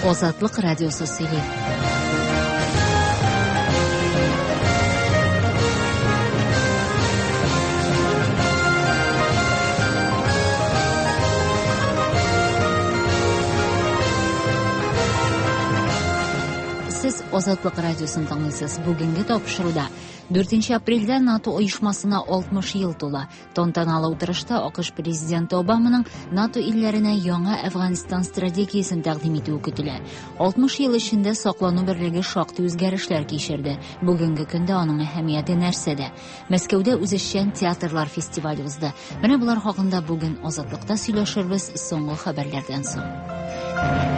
Азатлык радиосы сөйли. Сез Азатлык радиосын тыңлыйсыз. Бүгенге тапшыруда 4 апрельдә НАТО оешмасына 60 ел тула. Тантаналы утырышта АКШ президенты Обаманың НАТО илләренә яңа Әфганстан стратегиясен тәкъдим итүе көтелә. 60 ел эчендә саклану берлеге шактый үзгәрешләр кичерде. Бүгенге көндә аның әһәмияте нәрсәдә? Мәскәүдә үзешчән театрлар фестивале узды. Менә болар хакында бүген Азатлыкта сөйләшербез соңгы хәбәрләрдән соң.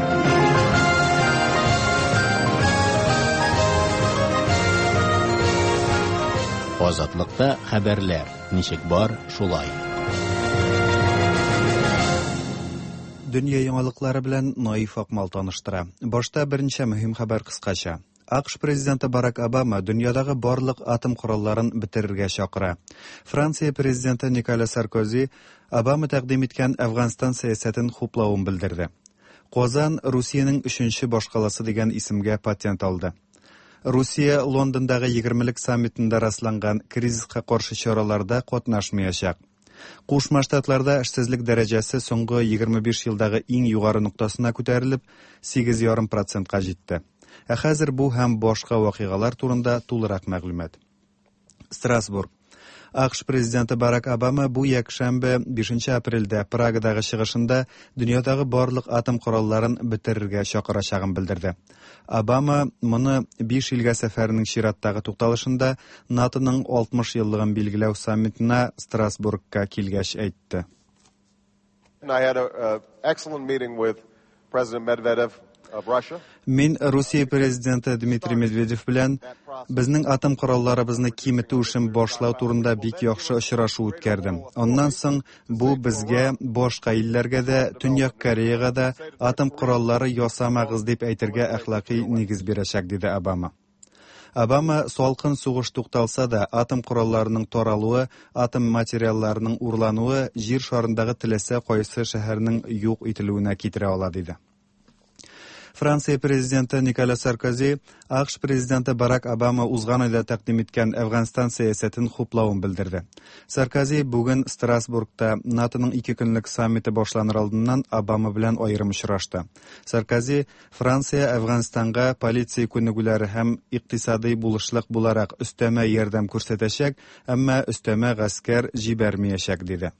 Азатлыкта хәбәрләр. Ничек бар, шулай. Дөнья яңалыклары белән Наиф Акмал таныштыра. Башта берничә мөһим хәбәр кыскача. АКШ президенты Барак Обама дөньядагы барлык атом коралларын бетерергә чакыра. Франция президенты Николя Саркози Обама тәкъдим иткән Әфганстан сәясәтен хуплавын белдерде. Казан Русиянең өченче башкаласы дигән исемгә патент алды. Русия Лондондагы егермелек саммитында расланган кризиска каршы чараларда катнашмаячак. Кушма Штатларда эшсезлек дәрәҗәсе соңгы 25 елдагы иң югары ноктасына күтәрелеп, 8,5 процентка җитте. Ә хәзер бу һәм башка вакыйгалар турында тулырак мәгълүмат. Страсбург. АКШ президенты Барак Обама бу якшәмбе 5 апрельдә Прагадагы чыгышында дөньядагы барлык атом коралларын бетерергә чакырачагын белдерде. Обама моны биш илгә сәфәренең чираттагы тукталышында НАТОның 60 еллыгын билгеләү саммитына Страсбургка килгәч әйтте. I had an excellent meeting with President Medvedev of Russia. Мин Русия президенты Дмитрий Медведев белән безнең атом коралларыбызны киметү эшен башлау турында бик яхшы очрашу үткәрдем. Аннан соң бу безгә, башка илләргә дә, Төньяк Кореяга да атом кораллары ясамагыз дип әйтергә әхлакый нигез бирәчәк, диде Обама. Обама салкын сугыш тукталса да, атом коралларының таралуы, атом материалларының урлануы җир шарындагы теләсә кайсы шәһәрнең юк ителүенә китерә ала, диде. Франция президенты Николя Саркози АКШ президенты Барак Обама узган айда тәкъдим иткән Әфганстан сәясәтен хуплавын белдерде. Саркози бүген Страсбургта НАТОның ике көнлек саммиты башланыр алдыннан Обама белән аерым очрашты. Саркози Франция Әфганстанга полиция күнегүләре һәм икътисадый булышлык буларак өстәмә ярдәм күрсәтәчәк, әмма өстәмә гаскәр җибәрмәячәк, диде.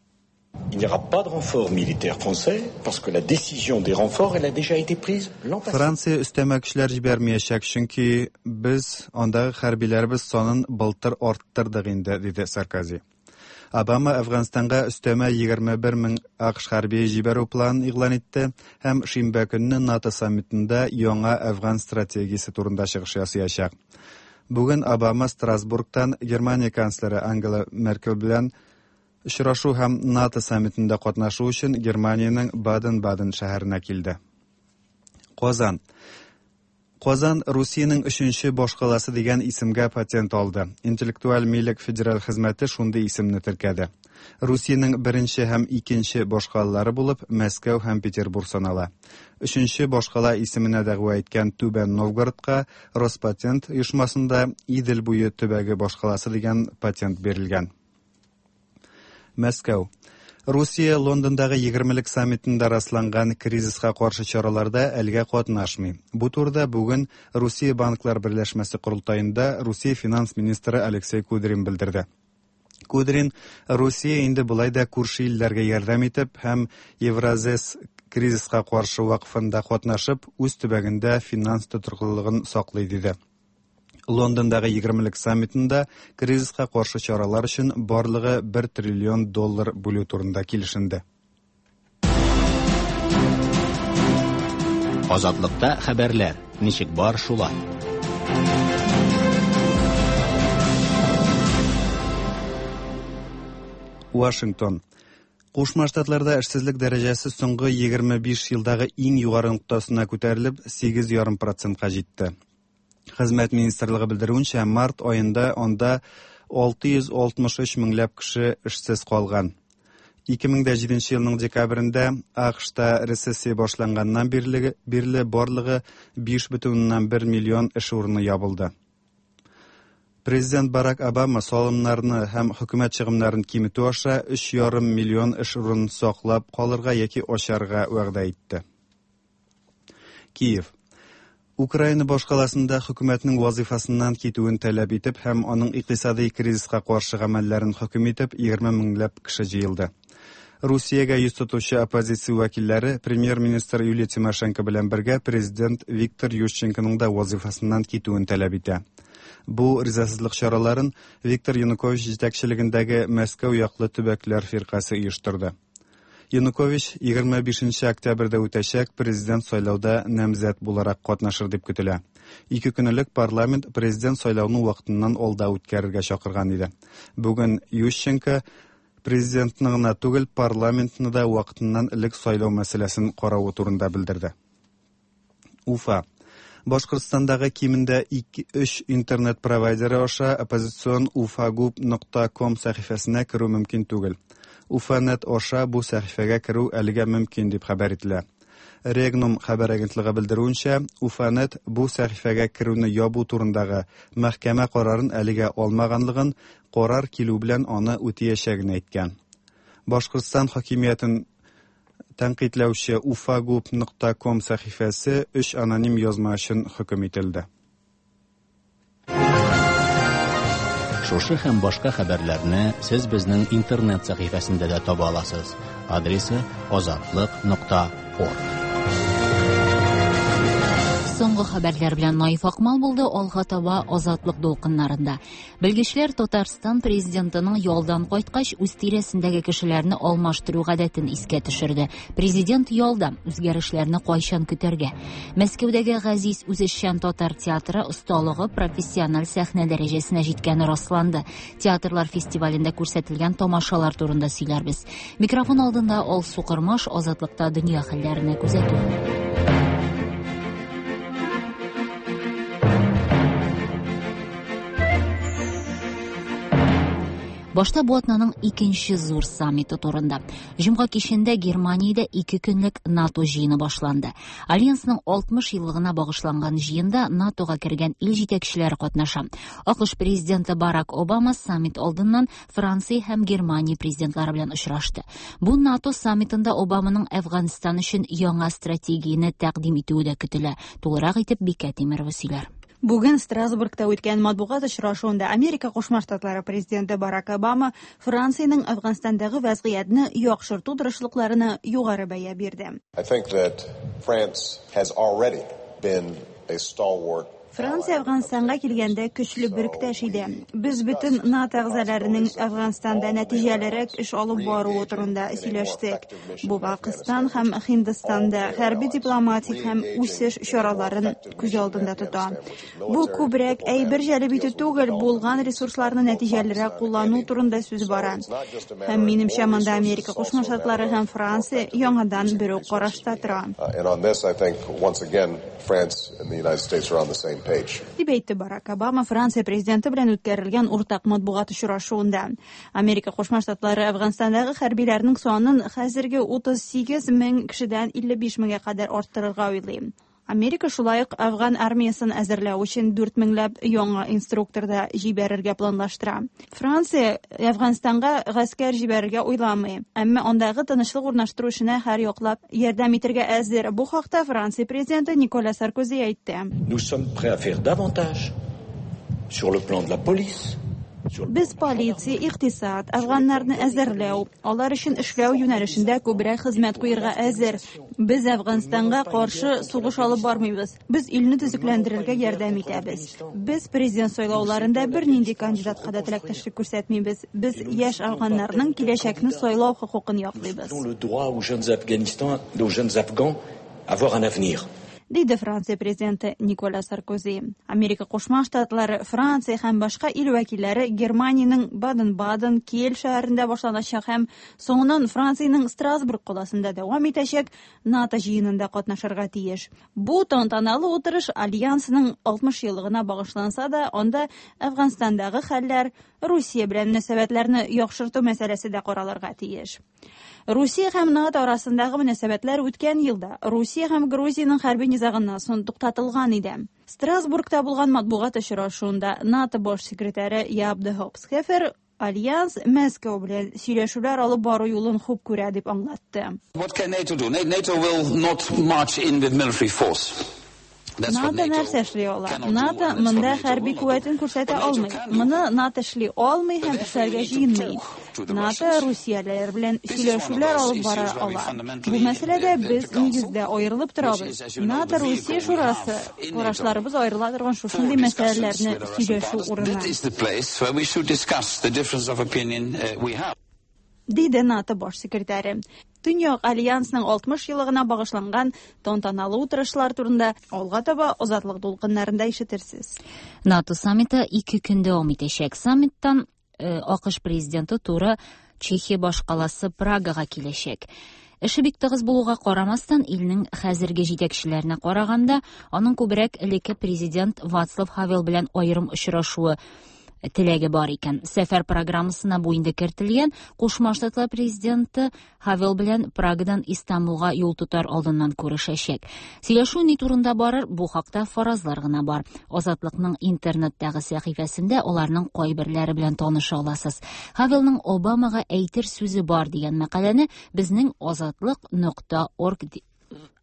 Il n'y aura pas de renfort militaire français parce que la décision des renforts, elle a déjà été prise l'an passé. Франция өстәмә көчләр җибәрмәячәк, чөнки без андагы хәрбиләребез санын былтыр арттырдык инде, диде Саркози. Обама Әфганстанга өстәмә 21 мең АКШ хәрбие җибәрү планын игълан итте һәм шимбә көнне НАТО саммитында яңа Әфган стратегиясе турында чыгыш ясаячак. Бүген Обама Страсбургтан Германия канцлеры Ангела Меркель белән очрашу һәм НАТО саммитында катнашу өчен Германиянең Баден-Баден шәһәренә килде. Казан. Казан Русиянең өченче башкаласы дигән исемгә патент алды. Интеллектуаль милек федераль хезмәте шундый исемне теркәде. Русиянең беренче һәм икенче башкалалары булып Мәскәү һәм Петербург санала. Өченче башкала исеменә дәгъва иткән Түбән Новгородка Роспатент оешмасында Идел буе төбәге башкаласы дигән патент бирелгән. Мәскәү. Русия Лондондагы егермелек саммитында расланган кризиска каршы чараларда әлгә катнашмый. Бу турыда бүген Русия банклар берләшмәсе корылтаенда Русия финанс министры Алексей Кудрин белдерде. Кудрин Русия инде болай да күрше илләргә ярдәм итеп һәм Евразес кризиска каршы вакыфында катнашып, үз төбәгендә финанс тотрыклылыгын саклый диде. Лондондагы егермелек саммитында кризиска каршы чаралар өчен барлыгы 1 триллион доллар бүлү турында килешенде. Азатлыкта хәбәрләр ничек бар шулай. Вашингтон. Кушма Штатларда эшсезлек дәрәҗәсе соңгы 25 елдагы иң югары ноктасына күтәрелеп, 8,5 процентка җитте. Хезмәт министрлыгы белдерүенчә, март аенда анда 663 меңләп кеше эшсез калган. 2007 елның декабрендә АКШта рецессия башланганнан бирле, бирле барлыгы 5,1 миллион эш урыны ябылды. Президент Барак Обама салымнарны һәм хөкүмәт чыгымнарын киметү аша 3,5 миллион эш урынын саклап калырга яки ачарга вәгъдә итте. Киев. Украина башкаласында хөкүмәтнең вазифасыннан китүен таләп итеп һәм аның икътисадый кризиска каршы гамәлләрен хөкем итеп 20 меңләп кеше җыелды. Русиягә йөз тотучы оппозиция вәкилләре премьер-министр Юлия Тимошенко белән бергә президент Виктор Ющенконың да вазифасыннан китүен таләп итә. Бу ризасызлык чараларын Виктор Янукович җитәкчелегендәге Мәскәү яклы төбәкләр фиркасе оештырды. Янукович 25 октябрьдә үтәчәк президент сайлауда намзәт буларак катнашыр дип көтелә. Ике көн элек парламент президент сайлауны вакытыннан алда үткәрергә чакырган иде. Бүген Ющенко президентны гына түгел, парламентны да вакытыннан элек сайлау мәсьәләсен каравы турында белдерде. Уфа. Башкортстандагы кимендә 2-3 интернет провайдеры аша оппозицион ufagub.com сәхифәсенә керү мөмкин түгел. Уфанет аша бу сәхифәгә керү әлегә мөмкин дип хәбәр ителә. Регнум хәбәр агентлыгы белдерүенчә, Уфанет бу сәхифәгә керүне ябу турындагы мәхкәмә карарын әлегә алмаганлыгын, карар килү белән аны үтәячәген әйткән. Башкортстан хакимиятен тәнкыйтьләүче ufagub.com сәхифәсе өч аноним язма өчен хөкем ителде. Шушы һәм башка хәбәрләрне сез безнең интернет сәхифәсендә дә таба аласыз. Адресы azatliq.org. Соңгы хәбәрләр белән Наиф Акмал булды, алга таба Азатлык дулкыннарында. Белгечләр Татарстан президентының ялдан кайткач үз тирәсендәге кешеләрне алмаштыру гадәтен искә төшерде. Президент ялда, үзгәрешләрне кайчан көтәргә? Мәскәүдәге Газиз үзешчән татар театры осталыгы профессиональ сәхнә дәрәҗәсенә җиткәне расланды. Театрлар фестивалендә күрсәтелгән тамашалар турында сөйләрбез. Микрофон алдында Алсу Кырмаш, Азатлыкта дөнья хәлләренә күзәтү. Башта бу атнаның икенче зур саммиты турында. Җомга кичендә Германиядә ике көнлек НАТО җыены башланды. Альянсның 60 еллыгына багышланган җыенда НАТОга кергән ил җитәкчеләре катнаша. АКШ президенты Барак Обама саммит алдыннан Франция һәм Германия президентлары белән очрашты. Бу НАТО саммитында Обаманың Әфганстан өчен яңа стратегияне тәкъдим итүе дә көтелә. Тулырак итеп Бикә Тимирова сөйләр. Бүген Страсбургта үткән матбугат очрашуында Америка Кушма Штатлары президенты Барак Обама Франциянең Әфганстандагы вазгыятьне яхшырту тырышлыкларына югары бәя бирде. I think that France has already been a stalwart. Франция Әфганстанга килгәндә көчле беректәш иде. Без бөтен НАТО әгъзаларының Әфганстанда нәтиҗәлерәк эш алып баруы турында сөйләштек. Бу Пакистан һәм Һиндстанда хәрби дипломатик һәм үсеш чараларын күз алдында тота. Бу күбрәк әйбер җәлеп итү түгел, булган ресурсларны нәтиҗәлерәк куллану турында сүз бара. Һәм минемчә монда Америка Кушма Штатлары һәм Франция яңадан бер үк карашта тора. And on this, I think, once again, France and the United States are on the same page. Дип әйтте Барак Обама Франция президенты белән үткәрелгән уртак матбугат очрашуында. Америка Кушма Штатлары Әфганстандагы хәрбиләрнең санын хәзерге 38 мең кешедән 55 меңгә кадәр арттырырга уйлый. Америка шулай ук Әфган армиясын әзерләү өчен 4 меңләп яңа инструктор да җибәрергә планлаштыра. Франция Әфганстанга гаскәр җибәрергә уйламый, әмма андагы тынычлык урнаштыру эшенә һәр яклап ярдәм итәргә әзер. Бу хакта Франция президенты Николя Саркози әйтте. Nous sommes prêts à faire davantage sur le plan de la police, Без полиция, икътисад, әфганнарны әзерләү, алар өчен эшләү юнәлешендә күбрәк хезмәт куярга әзер. Без Әфганстанга каршы сугыш алып бармыйбыз. Без илне төзекләндерергә ярдәм итәбез. Без президент сайлауларында бернинди кандидатка да теләктәшлек күрсәтмибез. Без яшь әфганнарның киләчәкне сайлау хокукын яклыйбыз. Dont le droit aux jeunes Afghanistans, aux jeunes Afghans, avoir un avenir. диде Франция президенты Николя Саркози. Америка Кушма Штатлары, Франция һәм башка ил вәкилләре Германиянең Баден-Баден, Киель шәһәрендә башланачак һәм соңыннан Франциянең Страсбург каласында дәвам итәчәк НАТО җыенында катнашырга тиеш. Бу тантаналы утырыш альянсның 60 еллыгына багышланса да, анда Әфганстандагы хәлләр, Русия белән мөнәсәбәтләрне яхшырту мәсьәләсе дә каралырга тиеш. Русия һәм НАТО арасындагы мөнәсәбәтләр үткән елда Русия һәм Грузиянең хәрби низагыннан соң туктатылган иде. Страсбургта булган матбугат очрашуында НАТО баш секретаре Яп де Хопсхефер Альянс Мәскәү белән сөйләшүләр алып бару юлын хуп күрә дип аңлатты. What can NATO do? NATO will not march in with military force. НАТО нәрсә эшли ала? НАТО монда хәрби куәтен күрсәтә алмый. Моны НАТО эшли алмый һәм эшләргә җыенмый. НАТО русиялеләр белән сөйләшүләр алып бара ала. Бу мәсьәләдә без нигездә аерылып торабыз. НАТО Русия шурасы карашларыбыз аерыла торган шушындый мәсьәләләрне сөйләшү урыны. Диде НАТО баш секретаре. Төньяк альянсның 60 еллыгына багышланган тантаналы утырышлар турында алга таба Азатлык дулкыннарында ишетерсез. НАТО саммиты 2 көн дәвам итәчәк. Саммиттан АКШ президенты туры Чехия башкаласы Прагага киләчәк. Эше бик тыгыз булуга карамастан, илнең хәзерге җитәкчеләренә караганда, аның күбрәк элекке президент Вацлав Хавел белән аерым очрашуы теләге бар икән. Сәфәр программасына бу инде кертелгән. Кушма Штатлар президенты Хавел белән Прагадан Истанбулга юл тотар алдыннан күрешәчәк. Сөйләшү ни турында барыр, бу хакта фаразлар гына бар. Азатлыкның интернеттагы сәхифәсендә аларның кайберләре белән таныша аласыз. Хавелның Обамага әйтер сүзе бар дигән мәкаләне безнең азатлык.org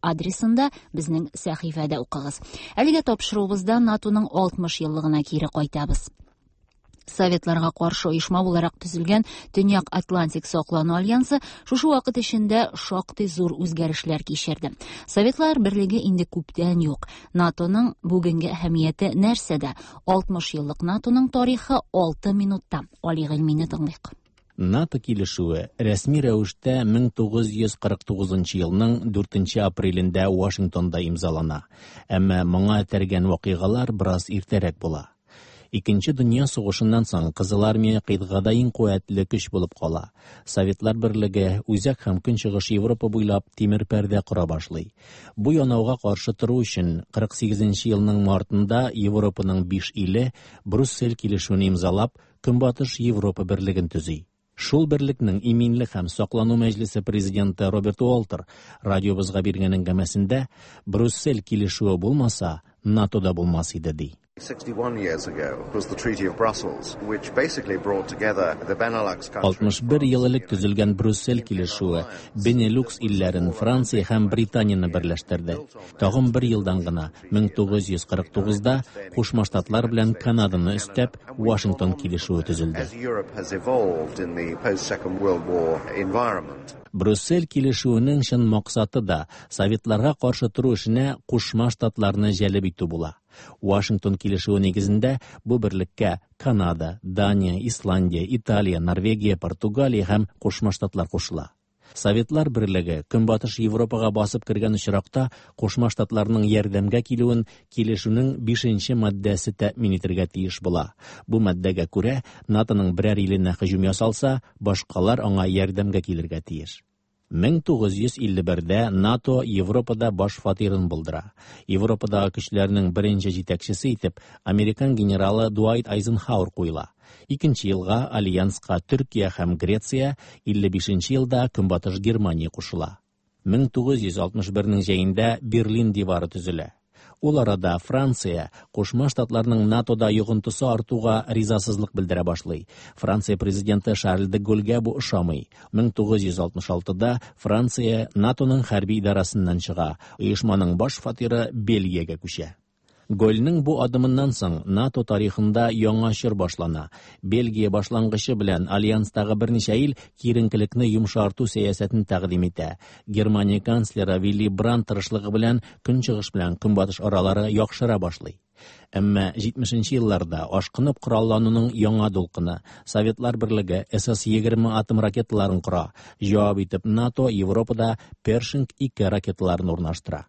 адресында безнең сәхифәдә укыгыз. Әлегә тапшыруыбызда НАТОның 60 еллыгына кире кайтабыз. Советларга каршы оешма буларак төзелгән Төньяк Атлантик саклану альянсы шушы вакыт эчендә шактый зур үзгәрешләр кичерде. Советлар берлеге инде күптән юк. НАТОның бүгенге әһәмияте нәрсәдә? 60 еллык НАТОның тарихы 6 минутта. Али Гыйльмине тыңлыйк. НАТО килешүе рәсми рәвештә 1949 елның 4 апрелендә Вашингтонда имзалана. Әмма моңа этәргән вакыйгалар бераз иртәрәк була. Икенче дөнья сугышыннан соң Кызыл армия кыйтгада иң куәтле көч булып кала. Советлар берлеге Үзәк һәм Көнчыгыш Европа буйлап тимер пәрдә кора башлый. Бу янауга каршы тору өчен 48 елның мартында Европаның 5 иле Брюссель килешүен имзалап, Көнбатыш Европа берлеген төзи. Шул берлекнең иминлек һәм саклану мәҗлесе президенты Роберт Уолтер радиобызга биргән әңгәмәсендә Брюссель килешүе булмаса, НАТО да булмас иде ди. 61 years ago was the Treaty of Brussels, which basically brought together the Benelux countries. 61 ел элек төзелгән Брюссель килешүе Бенелюкс илләрен Франция һәм Британияне берләштерде. Тагын бер елдан гына 1949-да Кушма Штатлар белән Канаданы өстәп Вашингтон килешүе төзелде. As Europe has evolved in the post-Second World War environment. Брюссель килешүенең чын максаты да Советларга каршы тору эшенә Кушма Штатларны җәлеп итү була. Вашингтон килешүе нигезендә бу берлеккә Канада, Дания, Исландия, Италия, Норвегия, Португалия һәм Кушма Штатлар кушыла. Советлар берлеге Көнбатыш Европага басып кергән очракта Кушма Штатларның ярдәмгә килүен килешүнең 5-нче маддәсе тәэмин итәргә тиеш була. Бу маддәгә күрә НАТОның берәр иленә һөҗүм ясалса, башкалар аңа ярдәмгә килергә тиеш. 1951-дә НАТО Европада баш фатирын булдыра. Европадагы көчләрнең беренче җитәкчесе итеп американ генералы Дуайт Айзенхауэр куела. Икенче елга альянска Төркия һәм Греция, 55 елда Көнбатыш Германия кушыла. 1961 җәендә Берлин дивары төзелә. Ул арада Франция Кушма Штатларның НАТОда йогынтысы артуга ризасызлык белдерә башлый. Франция президенты Шарль де Голльгә бу ошамый. 1966-да Франция НАТОның хәрби идарәсеннән чыга. Оешманың баш фатиры Бельгиягә күчә. Гольнең бу адымыннан соң НАТО тарихында яңа чор башлана. Бельгия башлангычы белән альянстагы берничә ил киеренкелекне йомшарту сәясәтен тәкъдим итә. Германия канцлеры Вилли Брандт тырышлыгы белән Көнчыгыш белән Көнбатыш аралары яхшыра башлый. Әмма 70 елларда ашкынып кораллануның яңа дулкыны Советлар берлеге СС-20 атом ракеталарын кора. Җавап итеп НАТО Европада Першинг 2 ракеталарын урнаштыра.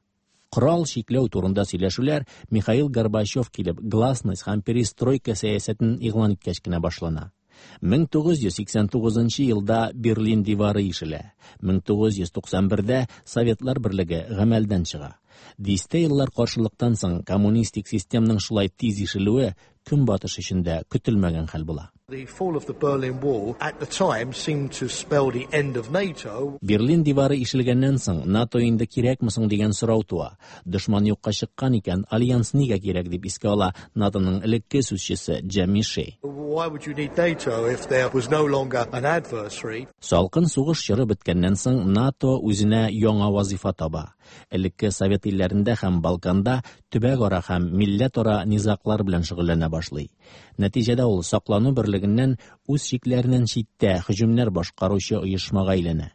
Корал чикләү турында сөйләшүләр Михаил Горбачев килеп гласность һәм перестройка сәясәтен игълан иткәч кенә башлана. 1989 елда Берлин дивары ишелә. 1991-дә Советлар берлеге гамәлдән чыга. Дистә еллар каршылыктан соң коммунистик системның шулай тиз ишелүе Көнбатыш өчен дә көтелмәгән хәл була. Берлин дивары ишелгәннән соң НАТО инде кирәкме соң дигән сорау туа. Дошман юкка чыккан икән, альянс нигә кирәк дип искә ала НАТОның элекке сүзчесе Джемми Шей. Салкын сугыш чоры беткәннән соң НАТО үзенә яңа вазифа таба. Элекке Совет илләрендә һәм Балканда төбәкара һәм милләтара низаглар белән шөгыльләнә башлый. Нәтиҗәдә ул саклану берлегеннән үз чикләреннән читтә һөҗүмнәр башкаручы оешмага әйләнә.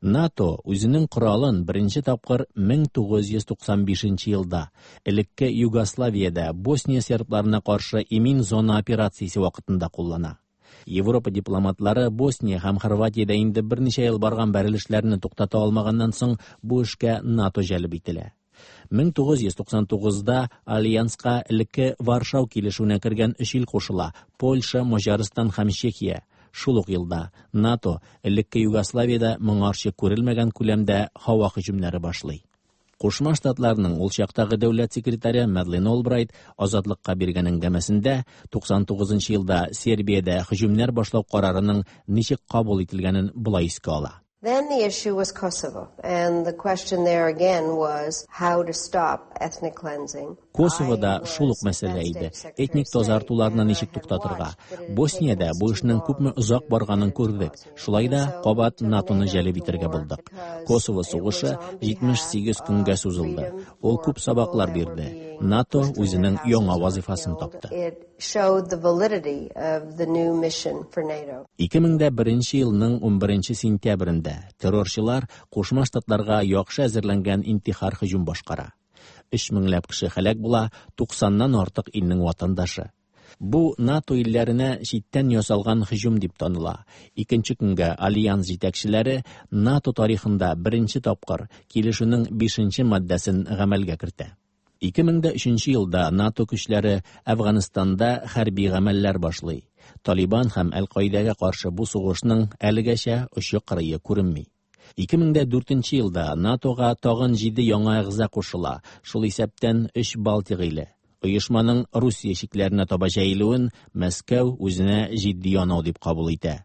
НАТО үзенең коралын беренче тапкыр 1995 елда элекке Югославиядә Босния сербларына каршы имин зона операциясе вакытында куллана. Европа дипломатлары Босния һәм Хорватиядә инде берничә ел барган бәрелешләрне туктата алмаганнан соң бу эшкә НАТО җәлеп ителә. 1999-да альянска элекке Варшау килешүенә кергән өч ил кушыла: Польша, Маҗарстан һәм Чехия. Шул ук елда НАТО элекке Югославиядә моңарчы күрелмәгән күләмдә һава һөҗүмнәре башлый. Кушма Штатларның ул чактагы дәүләт секретаре Мадлен Олбрайт Азатлыкка биргән әңгәмәсендә 99 елда Сербиядә һөҗүмнәр башлау карарының ничек кабул ителгәнен болай искә ала. Then the issue was Kosovo, and the question there again was how to stop ethnic cleansing. Косовода шул ук мәсьәлә иде. Этник тазартуларны ничек туктатырга? Босниядә бу эшнең күпме озак барганын күрдек. Шулай да кабат НАТОны җәлеп итәргә булдык. Косово сугышы 78 көнгә сузылды. Ул күп сабаклар бирде. НАТО үзенең яңа вазифасын тапты. 2001 елның 11 сентябрендә террорчылар Кушма Штатларга яхшы әзерләнгән интихар һөҗүм башкара. 3 меңләп кеше һәлак була, 90-нан артык илнең ватандашы. Бу НАТО илләренә читтән ясалган һөҗүм дип таныла. Икенче көнгә альянс җитәкчеләре НАТО тарихында беренче тапкыр килешүнең 5 маддәсен гамәлгә кертә. 2003 елда НАТО көчләре Әфганстанда хәрби гамәлләр башлый. Талибан һәм Әл-Каидәгә каршы бу сугышның әлегәчә очы-кырые күренми. 2004 елда НАТОга тагын 7 яңа әгъза кушыла, шул исәптән 3 Балтик иле. Оешманың Русия чикләренә таба җәелүен Мәскәү үзенә җитди янау дип кабул итә.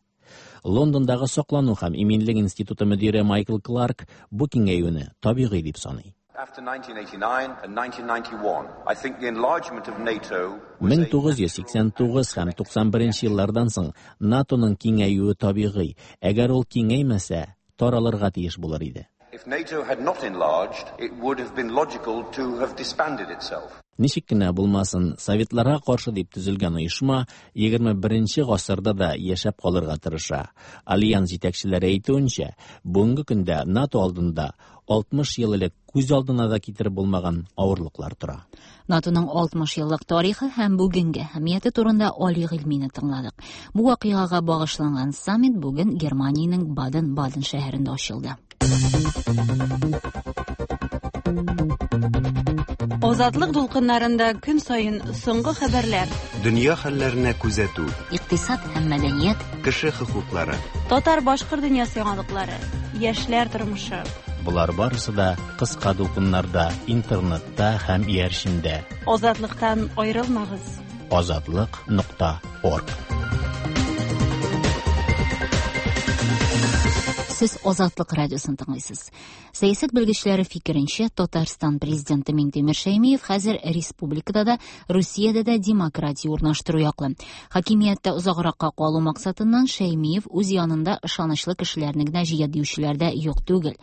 Лондондагы саклану һәм иминлек институты мөдире Майкл Кларк бу киңәюне табигый дип саный. After 1989 and 1991, I think the enlargement of NATO 1989 һәм 91 еллардан соң НАТОның киңәюе табигый. Әгәр ул киңәймәсә, таралырга тиеш булыр иде. If NATO had not enlarged, it would have been logical to have disbanded itself. Ничек кенә булмасын, советларга каршы дип төзелгән оешма 21 гасырда да яшәп калырга тырыша. Альянс җитәкчеләре әйтүенчә, бүгенге көндә НАТО алдында 60 ел элек күз алдына да китереп булмаган авырлыклар тора. НАТОның 60 еллык тарихы һәм бүгенге әһәмияте турында Али Гыйльмине тыңладык. Бу вакыйгага багышланган саммит бүген Германиянең Баден-Баден шәһәрендә ачылды. Азатлык дулкыннарында көн саен соңгы хәбәрләр. Дөнья хәлләренә күзәтү. Икътисад һәм мәдәният. Кеше хокуклары. Татар-башкорт дөньясы яңалыклары. Яшьләр тормышы. Болар барысы да кыска дулкыннарда, интернетта һәм иярчендә. Азатлыктан аерылмагыз. Азатлык.орг. Сез Азатлык радиосын тыңлыйсыз. Сәясәт белгечләре фикеренчә, Татарстан президенты Миңтимер Шәймиев хәзер республикада да, Русиядә дә демократия урнаштыру яклы. Хакимияттә озагракка калу максатыннан Шәймиев үз янында ышанычлы кешеләрне генә җыя диючеләр дә юк түгел.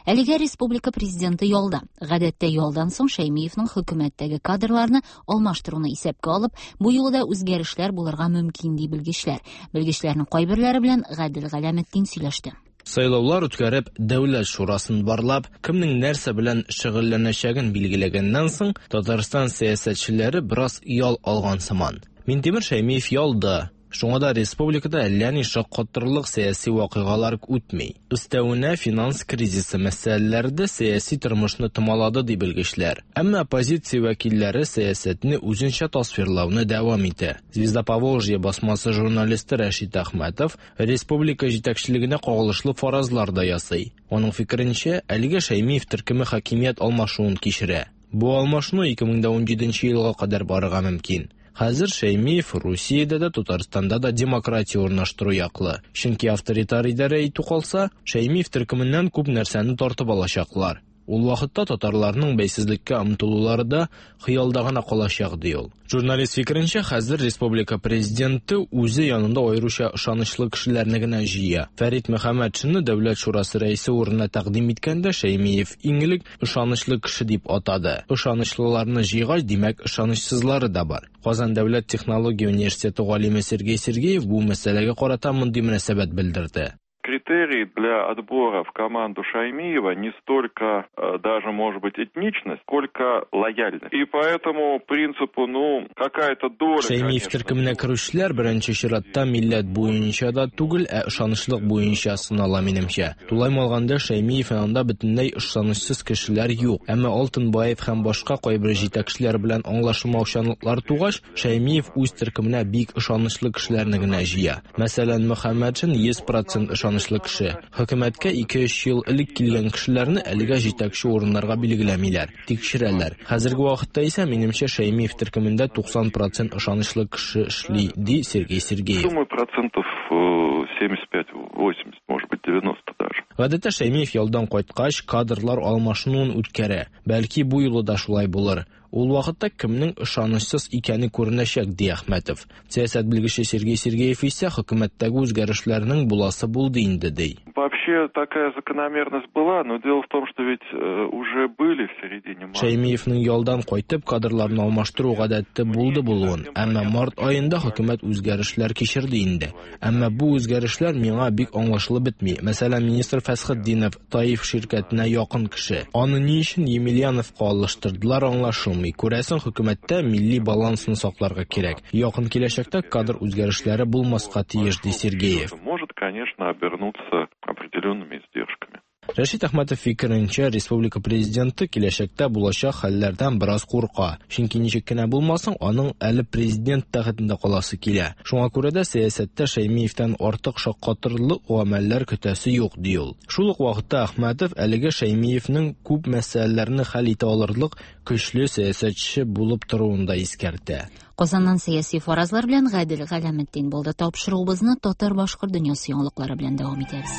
Әлегә республика президенты ялда. Гадәттә ялдан соң Шәймиевның хөкүмәттәге кадрларны алмаштыруны исәпкә алып, бу юлы да үзгәрешләр булырга мөмкин ди белгечләр. Белгечләрнең кайберләре белән Гадел Галәметдин сөйләште. Сайлаулар үткәреп, Дәүләт шурасын барлап, кемнең нәрсә белән шөгыльләнәчәген билгеләгәннән соң, Татарстан сәясәтчеләре бераз ял алган сыман. Минтимер Шәймиев ялда. Шуңа да республикада әллә ни шаккатырлык сәяси вакыйгалар үтми. Өстәвенә финанс кризисы мәсьәләләре дә сәяси тормышны томалады, ди белгечләр. Әмма оппозиция вәкилләре сәясәтне үзенчә тасвирлауны дәвам итә. Звезда Поволжья басмасы журналисты Рәшит Әхмәтов республика җитәкчелегенә кагылышлы фаразлар да ясый. Аның фикеренчә, әлегә Шәймиев төркеме хакимият алмашуын кичерә. Бу алмашыну 2017 елга кадәр барырга мөмкин. Хәзер Шәймиев Русиядә дә, Татарстанда да демократия урнаштыру яклы. Чөнки авторитар идарә итү калса, Шәймиев төркеменнән күп нәрсәне тартып алачаклар. Ул вакытта татарларның бәйсезлеккә омтылулары да хыялда гына калачак, ди ул. Журналист фикеренчә, хәзер республика президенты үзе янында аеруча ышанычлы кешеләрне генә җыя. Фәрит Мөхәммәтшинны Дәүләт шурасы рәисе урынына тәкъдим иткәндә Шәймиев иң элек ышанычлы кеше дип атады. Ышанычлыларны җыйгач, димәк, ышанычсызлары да бар. Казан дәүләт технология университеты галиме Сергей Сергеев бу мәсьәләгә карата мондый мөнәсәбәт белдерде. Критерий для отбора в команду Шаймиева не столько даже, может быть, этничность, сколько лояльность. И по этому принципу, ну, какая-то доля, Шәймиев төркеменә керүчеләр беренче чиратта милләт буенча да түгел, ә ышанычлык буенча сынала, минемчә. Тулаем алганда, Шәймиев янында бөтенләй ышанычсыз кешеләр юк. Әмма Алтынбаев һәм башка кайбер җитәкчеләр белән аңлашылмаучанлыклар тугач, Шәймиев үз төркеменә бик ышанычлы кешеләрне генә җыя. Мәсәлән, Мөхәммәтшин 100% ышанычлы кеше. Хөкүмәткә 2-3 ел элек килгән кешеләрне әлегә җитәкче урыннарга билгеләмиләр, тикшерәләр. Хәзерге вакытта исә, минемчә, Шәймиев төркемендә 90% ышанычлы кеше эшли, ди Сергей Сергеев. Думаю, процентов 75-80, может быть, 90 даже. Гадәттә Шәймиев ялдан кайткач, кадрлар алмашынуын үткәрә. Бәлки бу юлы да шулай булыр. Ул вакытта кемнең ышанычсыз икәне күренәчәк, ди Әхмәтов. Сәясәт белгече Сергей Сергеев исә хөкүмәттәге үзгәрешләрнең буласы булды инде, ди. Вообще такая закономерность была, но дело в том, что ведь уже были в середине марта. Шәймиевнең ялдан кайтып кадрларны алмаштыру гадәте булды булуын, әмма март аенда хөкүмәт үзгәрешләр кичерде инде. Әмма бу үзгәрешләр миңа бик аңлашылып бетми. Мәсәлән, министр Фәсхетдинов Таиф ширкәтенә якын кеше. Аны ни өчен Емельяновка алыштырдылар, аңлашылмый. Күрәсең, хөкүмәттә милли балансны сакларга кирәк. Якын киләчәктә кадр үзгәрешләре булмаска тиеш, ди Сергеев. Может, конечно, обернуться определенными издержками. Рәшит Әхмәтов фикеренчә, республика президенты киләчәктә булачак хәлләрдән бераз курка. Чөнки ничек кенә булмасын, аның әле президент тәхетендә каласы килә. Шуңа күрә дә сәясәттә Шәймиевтән артык шаккатырлык гамәлләр көтәсе юк, ди ул. Шул ук вакытта Әхмәтов әлеге Шәймиевнең күп мәсьәләләрне хәл итә алырлык көчле сәясәтче булып торуын да искәртә. Казаннан сәяси фаразлар белән Гадел Галәметдин булды. Тапшыруыбызны татар-башкорт дөньясы яңалыклары белән дәвам итәбез.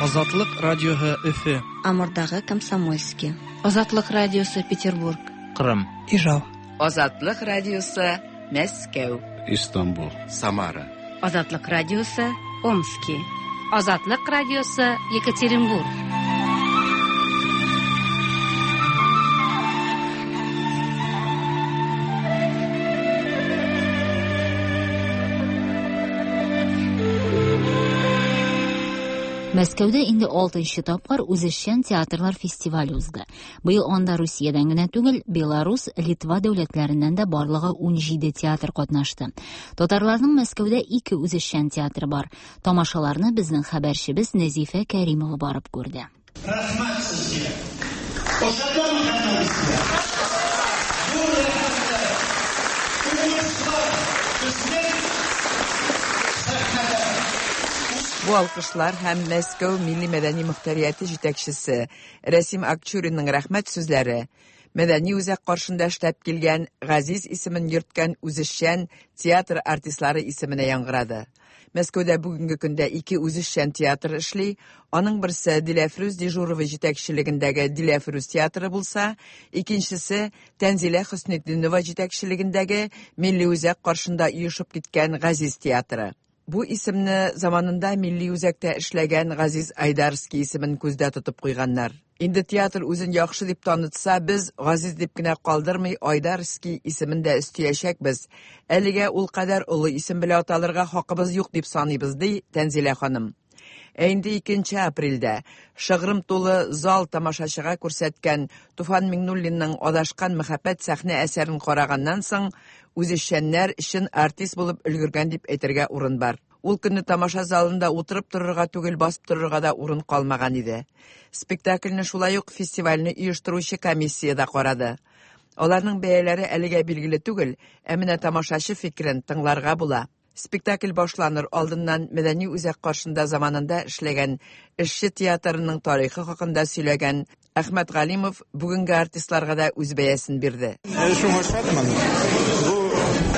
Азатлык радиоһы Өфе. Амурдагы Комсомольский. Азатлык радиосы Петербург. Кырым. Ижау. Азатлык радиосы Мәскәү. Истанбул. Самара. Азатлык радиосы Омски. Азатлык радиосы Екатеринбург. Мәскәүдә инде 6нчы тапкыр үзешчән театрлар фестивале узды. Быел анда Русиядән генә түгел, Беларус, Литва дәүләтләреннән дә барлыгы 17 театр катнашты. Татарларның Мәскәүдә 2 үзешчән театры бар. Тамашаларны безнең хәбәрчебез Нәзифә Кәримова барып күрде. Рәхмәт сезгә. Ошадымы һәммәгезгә? Зур рәхмәтләр. Уңышлар безнең сәхнәдә. Бу алкышлар һәм Мәскәү милли мәдәни мөхтәрияте җитәкчесе Рәсим Акчуринның рәхмәт сүзләре мәдәни үзәк каршында эшләп килгән Газиз исемен йөрткән үзешчән театр артистлары исеменә яңгырады. Мәскәүдә бүгенге көндә 2 үзешчән театр эшли. Аның берсе Диләфрүз Дежурова җитәкчелегендәге Диләфрүз театры булса, икенчесе Тәнзилә Хөснетдинова җитәкчелегендәге Милли үзәк каршында оешып киткән Газиз театры. Бу исемне заманында Милли үзәктә эшләгән Газиз Айдарский исемен күздә тотып куйганнар. Инде театр үзен яхшы дип танытса, без Газиз дип кенә калдырмый Айдарский исемен дә өстиячәкбез. Әлегә ул кадәр олы исем белән аталырга хакыбыз юк дип саныйбыз, ди Тәнзилә ханым. Ә инде 2 апрельдә шыгрым тулы зал тамашачыга күрсәткән Туфан Миңнуллинның Адашкан мәхәббәт сәхнә әсәрен караганнан соң, үзешчәннәр чын артист булып өлгергән дип әйтергә урын бар. Ул көнне тамаша залында утырып торырга түгел, басып торырга да урын калмаган иде. Спектакльне шулай ук фестивальне оештыручы комиссия дә карады. Аларның бәяләре әлегә билгеле түгел, ә менә тамашачы фикерен тыңларга була. Спектакль башланыр алдыннан мәдәни үзәк каршында заманында эшләгән эшче театрының тарихы хакында сөйләгән Әхмәт Галимов бүгенге артистларга да үз бәясен бирде. Шуңа шатмын. Бу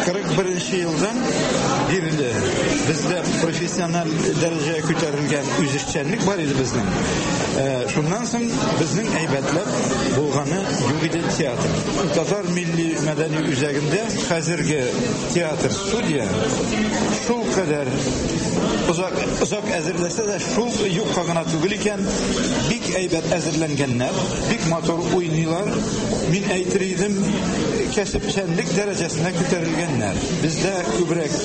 41 елдан бирле бездә профессиональ дәрәҗәгә күтәрелгән үзешчәнлек бар иде безнең. Шуннан соң безнең әйбәтләп булганы юк иде театр. Татар милли мәдәни үзәгендә хәзерге театр студия шул кадәр озак озак әзерләсә дә шул юкка гына түгел икән, бик әйбәт әзерләнгәннәр, бик матур уйныйлар. Мин әйтер идем, кәсепчәнлек дәрәҗәсенә күтәрелгәннәр. Бездә күбрәк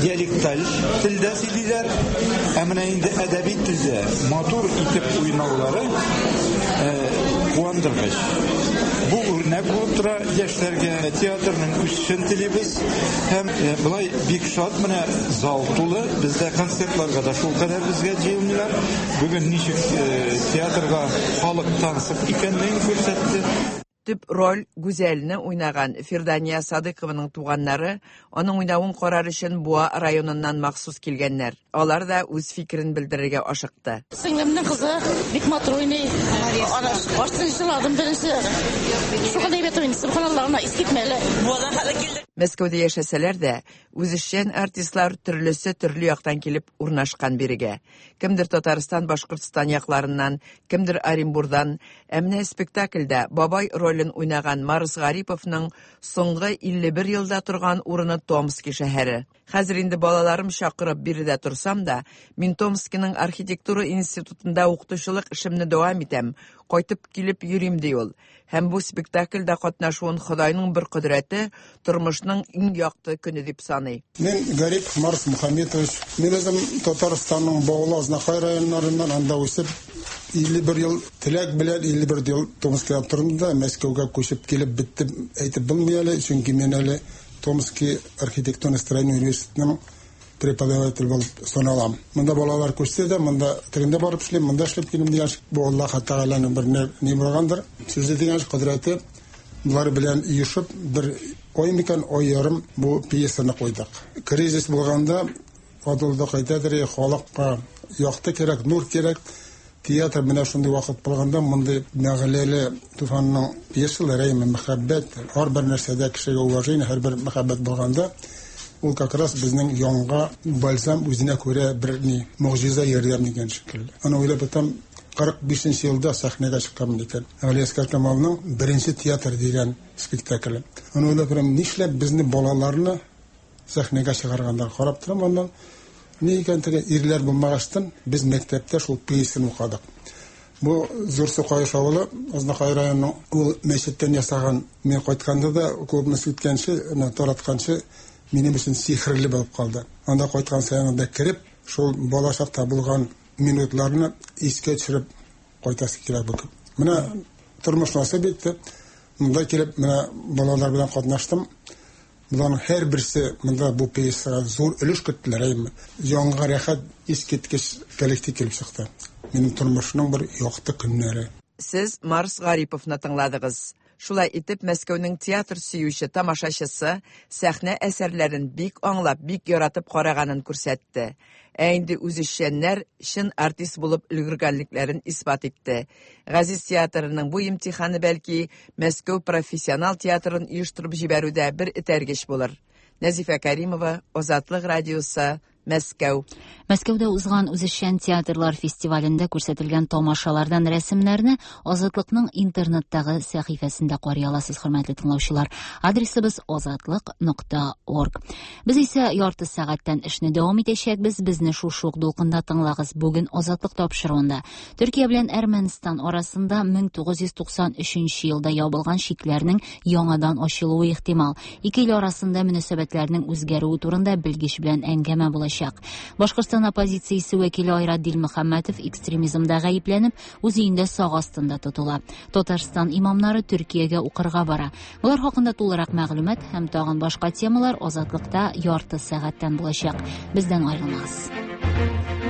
диалекталь телдә сөйлиләр, ә менә инде әдәби телдә матур итеп уйнаулары куандыргыч. Бу үрнәк булып тора яшьләргә. Театрның үсешен телибез һәм болай бик шат, менә зал тулы, бездә концертларга да шулкадәр безгә җыелмыйлар. Бүген ничек театрга халык тансык икәнлеген күрсәтте. Төп роль Гүзәлне уйнаган Фирдания Садыкованың туганнары аның уйнавын карар өчен Буа районыннан махсус килгәннәр. Алар да үз фикерен белдерергә ашыкты. Сеңлемнең кызы бик матур уйный. Аштын җырладым беренче. Шундый әйбәт уйный. Субханаллаһ, ана искитмәле. Буадан хәле килде. Мәскәүдә яшәсәләр дә, үзешчән артистлар төрлесе төрле яктан килеп урнашкан бирегә. Кемдер Татарстан, Башкортстан якларыннан, кемдер Оренбурдан. Ә менә спектакльдә бабай ролен уйнаган Марс Гариповның соңгы 51 елда торган урыны Томски шәһәре. Хәзер инде балаларым чакырып биредә торсам да, мин Томскиның архитектура институтында укытучылык эшемне дәвам итәм, кайтып килеп йөрим, ди ул. Һәм бу спектакльдә катнашуын Ходайның бер кодрәте, тормышның иң якты көне дип саный. Мин Гарип Марс Мухаметович. Мин үзем Татарстанның Баулы, Азнакай районнарыннан, анда үсеп, 51 ел теләк белән 51 ел Томскида тордым да, Мәскәүгә күчеп килеп беттем әйтеп булмый әле, чөнки мин әле Томский архитектурно-строительный университетының преподаватель булып саналам. Монда балалар күчсә дә, монда тегендә барып эшлим, монда эшләп килим дигән бу Аллаһ Тәгаләнең бер ни булгандыр. Сүзе дигән кодрәте болар белән оешып бер ай микән, ай ярым бу пьесаны куйдык. Кризис булганда Адылда кайтадыр, халыкка якты кирәк, нур кирәк. Театр менә шундый вакыт булганда мондый мәгъләле Туфанның пьесалары, мәхәббәт, һәрбер нәрсәдә кешегә уважение, һәрбер мәхәббәт булганда ул как раз безнең янга бальзам үзенә күрә бер ни могҗиза ярдәм дигән шикелле. Аны уйлап тотам, 45 елда сәхнәгә чыкканмын икән. Галиәсгар Камалның беренче театр дигән спектакле. Аны уйлап торам, нишләп безне балаларны сәхнәгә чыгарганнар. Карап торам аннан, ни икән теге ирләр булмагачтын, без мәктәптә шул пьесаны укыдык. Бу Зур Сукаеш авылы, Азнакай районының ул мәчеттән ясаган. Мин кайтканда да клубны сүткәнче, таратканчы минем өчен сихерле булып калды. Анда кайткан саен анда кереп, шул балачакта булган минутларны искә төшереп кайтасы килә бу. Менә тормыш насыйп итте. Монда килеп, менә балалар белән катнаштым. Боларның һәрберсе монда бу пьесага зур өлеш керттеләр, әйеме? Җанга рәхәт, искиткеч коллектив килеп чыкты. Минем тормышның бер якты көннәре. Сез Марс Гариповны тыңладыгыз. Шулай итеп, Мәскәүнең театр сөюче тамашачысы сәхнә әсәрләрен бик аңлап, бик яратып караганын күрсәтте. Ә инде үзешчәннәр чын артист булып өлгергәнлекләрен исбат итте. Газиз театрының бу имтиханы бәлки Мәскәү профессионал театрын оештырып җибәрүдә бер этәргеч булыр. Нәзифә Кәримова, Азатлык радиосы, Мәскәү. Мәскәүдә узган үзешчән театрлар фестивалендә күрсәтелгән тамашалардан рәсемнәрне Азатлыкның интернеттагы сәхифәсендә карый аласыз, хөрмәтле тыңлаучылар. Адресыбыз азатлык.орг. Без исә ярты сәгатьтән эшне дәвам итәчәкбез. Безне шушы ук дулкында тыңлагыз. Бүген Азатлык тапшыруында Төркия белән Әрмәнстан арасында 1993 елда ябылган чикләрнең яңадан ачылуы ихтимал. Ике ил арасында мөнәсәбәтләрнең үзгәрүе турында белгеч белән әңгәмә булачак. булачак. Башкортстан оппозициясе вәкиле Айрат Дилмөхәммәтов экстремизмда гаепләнеп, үз өендә сак астында тотыла. Татарстан имамнары Төркиягә укырга бара. Болар хакында тулырак мәгълүмат һәм тагын башка темалар Азатлыкта ярты сәгатьтән булачак. Бездән аерылмагыз.